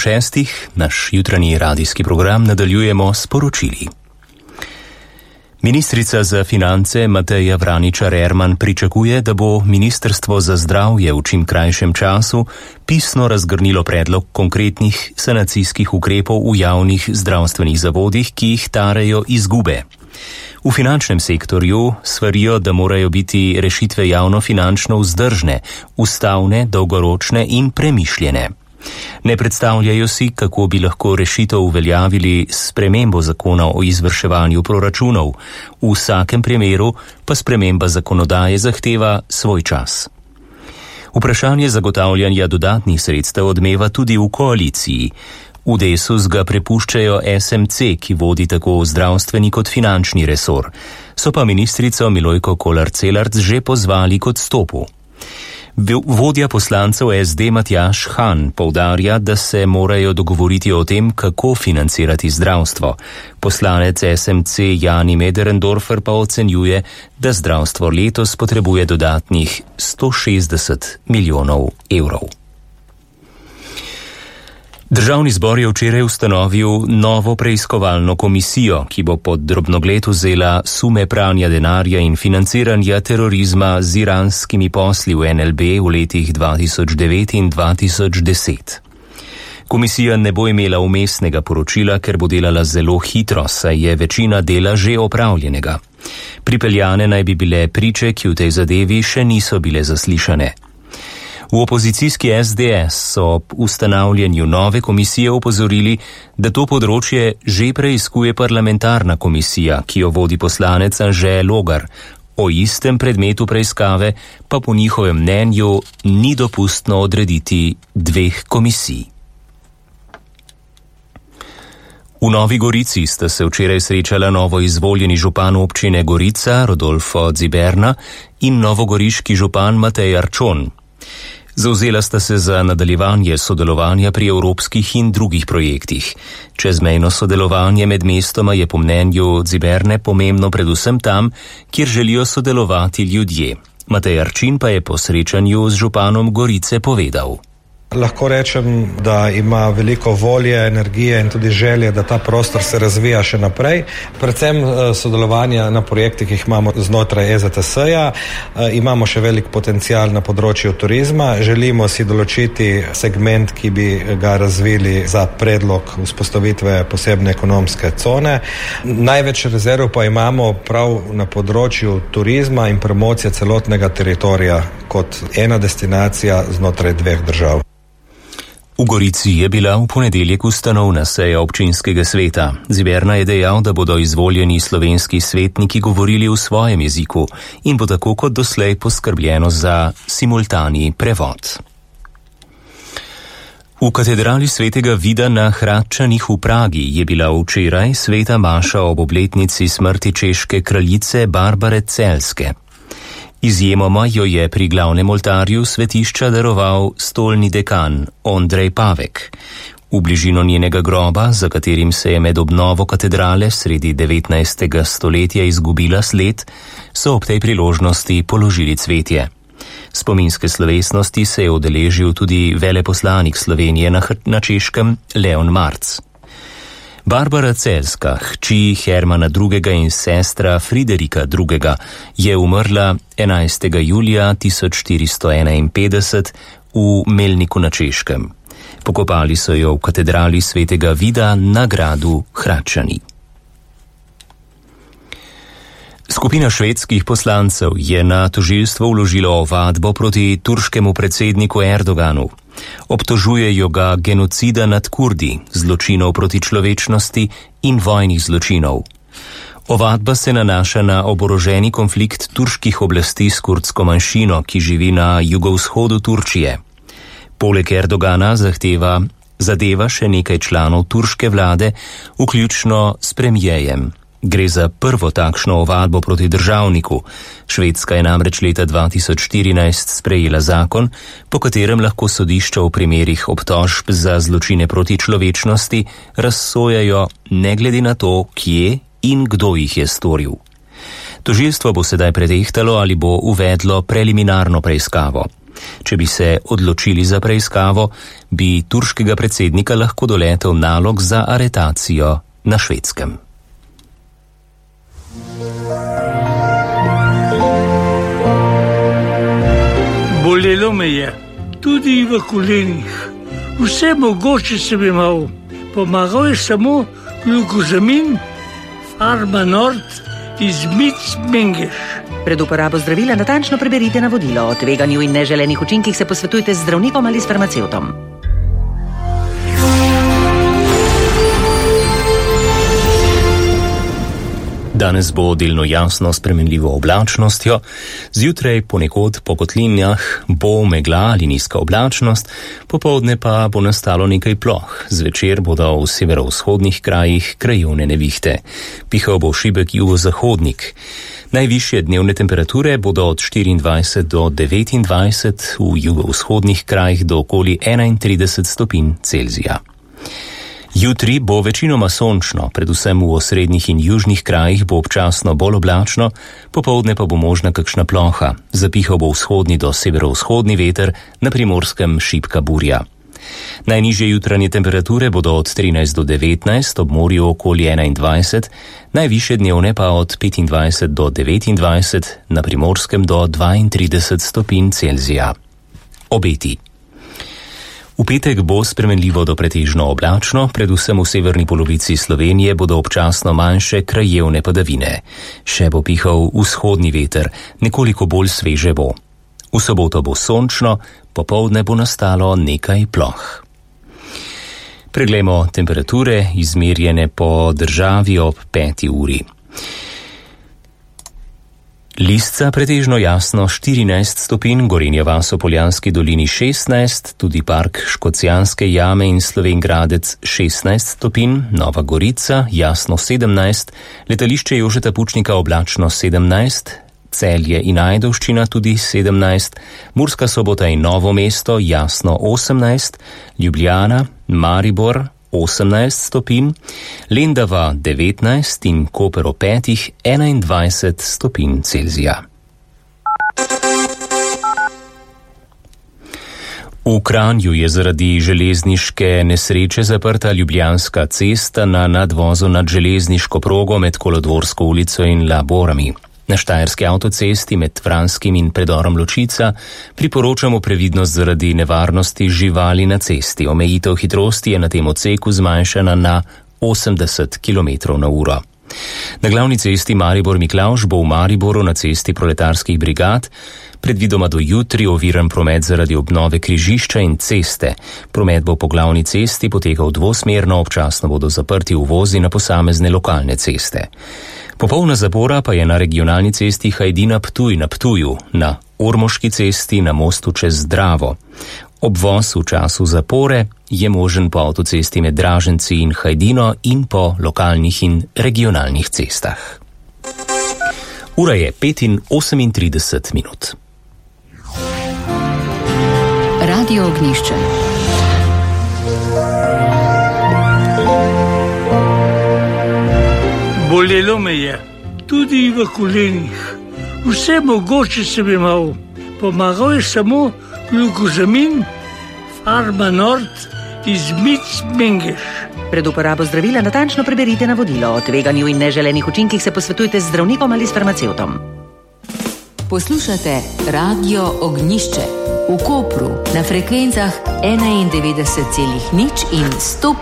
6. naš jutranji radijski program nadaljujemo s poročili. Ministrica za finance Mateja Vraničar-Erman pričakuje, da bo Ministrstvo za zdravje v čim krajšem času pisno razgrnilo predlog konkretnih sanacijskih ukrepov v javnih zdravstvenih zavodih, ki jih tarejo izgube. V finančnem sektorju svarijo, da morajo biti rešitve javno-finančno vzdržne, ustavne, dolgoročne in premišljene. Ne predstavljajo si, kako bi lahko rešitev uveljavili s spremembo zakona o izvrševanju proračunov. V vsakem primeru pa sprememba zakonodaje zahteva svoj čas. Vprašanje zagotavljanja dodatnih sredstev odmeva tudi v koaliciji. V Desus ga prepuščajo SMC, ki vodi tako zdravstveni kot finančni resor. So pa ministrico Milojko Kolar-Celarc že pozvali k odstopu. Vodja poslancev SD Matjaž Han poudarja, da se morajo dogovoriti o tem, kako financirati zdravstvo. Poslanec SMC Jani Möderndorfer pa ocenjuje, da zdravstvo letos potrebuje dodatnih 160 milijonov evrov. Državni zbor je včeraj ustanovil novo preiskovalno komisijo, ki bo pod drobnogled vzela sume pranja denarja in financiranja terorizma z iranskimi posli v NLB v letih 2009 in 2010. Komisija ne bo imela vmesnega poročila, ker bo delala zelo hitro, saj je večina dela že opravljenega. Pripeljane naj bi bile priče, ki v tej zadevi še niso bile zaslišane. V opozicijski SDS so ob ustanavljanju nove komisije opozorili, da to področje že preiskuje parlamentarna komisija, ki jo vodi poslanec Anže Logar. O istem predmetu preiskave pa po njihovem mnenju ni dopustno odrediti dveh komisij. V Novi Gorici sta se včeraj srečala novo izvoljeni župan občine Gorica Rodolfo Ziberna in novogoriški župan Matej Arčon. Zavzela sta se za nadaljevanje sodelovanja pri evropskih in drugih projektih. Čezmejno sodelovanje med mestoma je po mnenju Ziberne pomembno predvsem tam, kjer želijo sodelovati ljudje. Matej Arčin pa je po srečanju z županom Gorice povedal. Lahko rečem, da ima veliko volje, energije in tudi želje, da ta prostor se razvija še naprej. Predvsem sodelovanja na projektih, ki jih imamo znotraj EZTS-ja. Imamo še velik potencial na področju turizma. Želimo si določiti segment, ki bi ga razvili za predlog vzpostavitve posebne ekonomske cone. Največ rezerv pa imamo prav na področju turizma in promocije celotnega teritorija kot ena destinacija znotraj dveh držav. V Gorici je bila v ponedeljek ustanovna seja občinskega sveta. Ziberna je dejal, da bodo izvoljeni slovenski svetniki govorili v svojem jeziku in bo tako kot doslej poskrbljeno za simultani prevod. V katedrali svetega Vida na Hradčanih v Pragi je bila včeraj sveta maša ob obletnici smrti češke kraljice Barbare Celske. Izjemoma jo je pri glavnem oltarju svetišča daroval stolni dekan Ondrej Pavek. V bližino njenega groba, za katerim se je med obnovo katedrale sredi 19. stoletja izgubila sled, so ob tej priložnosti položili cvetje. Spominske slovesnosti se je udeležil tudi veleposlanik Slovenije na Češkem Leon Marc. Barbara Celska, hči Hermana II. In sestra Friderika II. Je umrla 11. julija 1451 v Melniku na Češkem. Pokopali so jo v katedrali svetega Vida na gradu Hradčani. Skupina švedskih poslancev je na tožilstvo vložila ovadbo proti turškemu predsedniku Erdoganu. Obtožujejo ga genocida nad Kurdi, zločinov proti človečnosti in vojnih zločinov. Ovadba se nanaša na oboroženi konflikt turških oblasti s kurdsko manjšino, ki živi na jugovzhodu Turčije. Poleg Erdogana zadeva še nekaj članov turške vlade, vključno s premijejem. Gre za prvo takšno ovadbo proti državniku. Švedska je namreč leta 2014 sprejela zakon, po katerem lahko sodišča v primerih obtožb za zločine proti človečnosti razsojajo ne glede na to, kje in kdo jih je storil. Tožilstvo bo sedaj pretehtalo, ali bo uvedlo preliminarno preiskavo. Če bi se odločili za preiskavo, bi turškega predsednika lahko doletel nalog za aretacijo na Švedskem. Bolelo me je, tudi v kolenih. Vse mogoče sem imel. Pomagal je samo glukozamin, Pharma Nord iz Mengeš. Pred uporabo zdravila natančno preberite navodilo. O tveganju in neželenih učinkih se posvetujte z zdravnikom ali s farmacevtom. Danes bo delno jasno s spremenljivo oblačnostjo, zjutraj ponekod po kotlinjah bo megla ali nizka oblačnost, popoldne pa bo nastalo nekaj ploh, zvečer bodo v severovzhodnih krajih krajevne nevihte. Pihal bo šibek jugozahodnik. Najvišje dnevne temperature bodo od 24 do 29, v jugovzhodnih krajih do okoli 31 stopinj Celzija. Jutri bo večinoma sončno, predvsem v osrednjih in južnih krajih bo občasno bolj oblačno, popoldne pa bo možna kakšna ploha. Zapihal bo vzhodni do severovzhodni veter, na Primorskem šibka burja. Najnižje jutranje temperature bodo od 13 do 19, ob morju okoli 21, najvišje dnevne pa od 25 do 29, na Primorskem do 32 stopinj Celzija. Obeti. V petek bo spremenljivo do pretežno oblačno, predvsem v severni polovici Slovenije bodo občasno manjše krajevne padavine. Še bo pihal vzhodni veter, nekoliko bolj sveže bo. V soboto bo sončno, popoldne bo nastalo nekaj ploh. Preglejmo temperature, izmerjene po državi ob 5. uri. Lisca pretežno jasno 14 stopinj, Gorenja vas v Poljanski dolini 16, tudi park Škocjanske jame in Slovenj Gradec 16 stopinj, Nova Gorica jasno 17, letališče Jožeta Pučnika oblačno 17, Celje in Ajdovščina tudi 17, Murska Sobota in Novo mesto jasno 18, Ljubljana, Maribor 18 stopinj, Lendava 19 in Koper ob 5 21 stopinj Celzija. V Kranju je zaradi železniške nesreče zaprta Ljubljanska cesta na nadvozu nad železniško progo med Kolodvorsko ulico in Laborami. Na štajerski avtocesti med Vranskim in predorom Ločica priporočamo previdnost zaradi nevarnosti živali na cesti. Omejitev hitrosti je na tem odseku zmanjšana na 80 km/h. Na glavni cesti Maribor-Miklavž bo v Mariboru na cesti proletarskih brigad predvidoma do jutri oviran promet zaradi obnove križišča in ceste. Promet bo po glavni cesti potekal dvosmerno, občasno bodo zaprti uvozi na posamezne lokalne ceste. Popolna zapora pa je na regionalni cesti Hajdina-Ptuj na Ptuju, na Ormoški cesti na mostu čez Dravo. Obvoz v času zapore je možen po avtocesti med Draženci in Hajdino in po lokalnih in regionalnih cestah. Ura je 5:38 minut. Radio Ognjišče. Bolelo me je, tudi v kolenih. Vse mogoče sem imel. Pomagal je samo glukozamin, Pharma Nord iz Mengeš. Pred uporabo zdravila natančno preberite navodilo. O tveganju in neželenih učinkih se posvetujte z zdravnikom ali s farmacevtom. Poslušate Radio Ognjišče v Kopru na frekvencah 91,0 in 105.